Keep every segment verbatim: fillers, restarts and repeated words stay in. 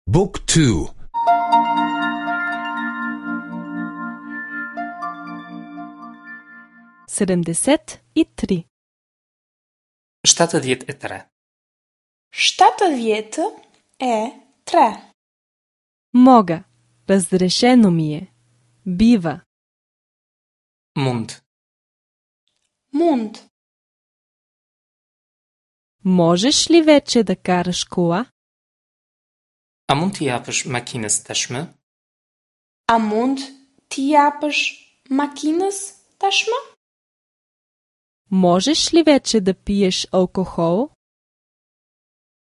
Book two. Седемдесет и три. Shtatëdhjetë e tre. Shtatëdhjetë e tre. Мога, разрешено ми е. Бива. Mund. Mund. Можеш ли вече да караш кола? A mund t'i japësh makinës tashmë? A mund t'i japësh makinës tashmë? Можеш ли вече да пиеш алкохол?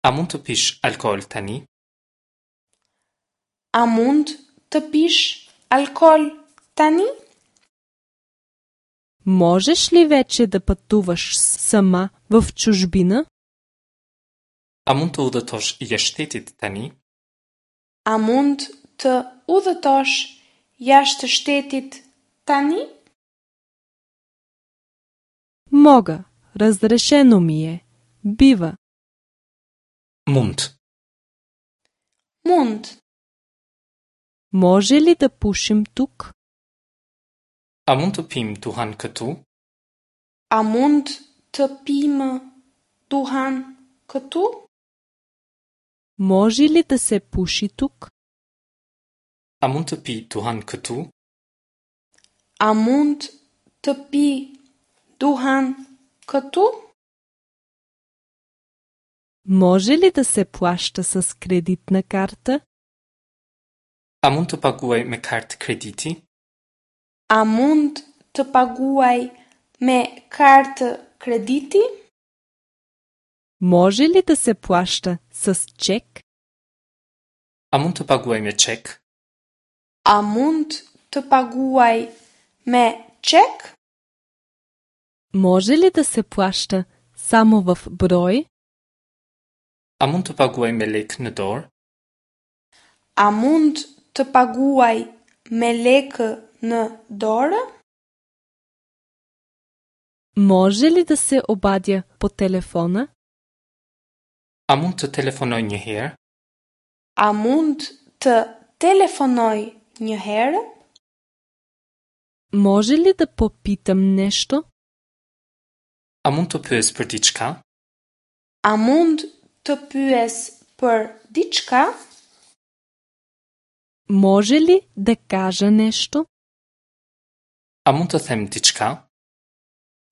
A mund të pish alkool tani? A mund të pish alkool tani? Можеш ли вече да пътуваш сама в чужбина? A mund të udhëtosh jashtë shtetit tani? A mund të udhëtosh jashtë shtetit tani? Мога, разрешено ми е. Бива. Mund. Mund. Може ли да пушим тук? A mund të pimë duhan këtu? A mund të pimë duhan këtu? Може ли да се пуши тук? A mund të pi duhan këtu? A mund të pi duhan këtu? Може ли да се плаща с кредитна карта? A mund të paguaj me kartë krediti? A mund të paguaj me kartë krediti? Може ли да се плаща с чек? A mund të paguaj me çek? A mund të paguaj me çek? Може ли да се плаща само в брой? A mund të paguaj me lekë në dorë? A mund të paguaj me lekë në dorë? Може ли да се обадя по телефона? A mund të telefonoj një herë? A mund të telefonoj një herë? Може ли да попитам нещо? A mund të pyes për diçka? A mund të pyes për diçka? Може ли да кажа нещо? A mund të them diçka?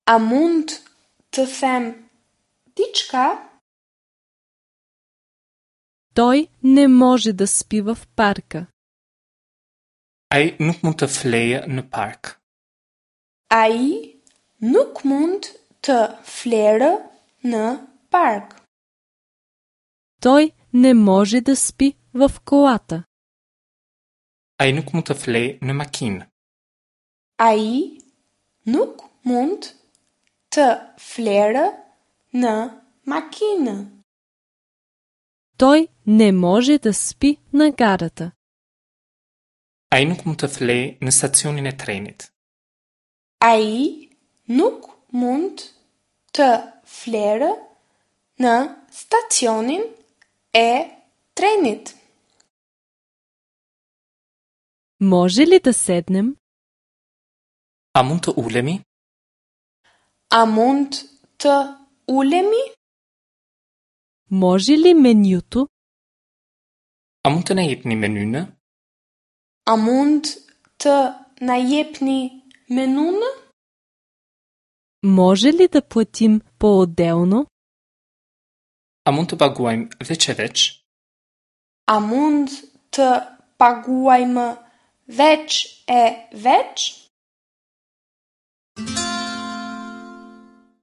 A mund të them diçka? Той не може да спи в парка. Ai nuk mund të flejë në park. Ai nuk mund të flerë në park. Той не може да спи в колата. Ai nuk mund të flejë në makinë. Ai nuk mund të flerë në makinë. Той не може да спи на гарата. Ai nuk mund të flejë në stacionin e trenit. Ai nuk mund të flerë në stacionin e trenit. Може ли да седнем? A mund të ulemi? A mund të ulemi? Може ли менюто? A mund të na jepni menynë? A mund të na jepni menunë? Може ли да платим поотделно? A mund të paguajmë veç e veç? A mund të paguajmë veç e veç?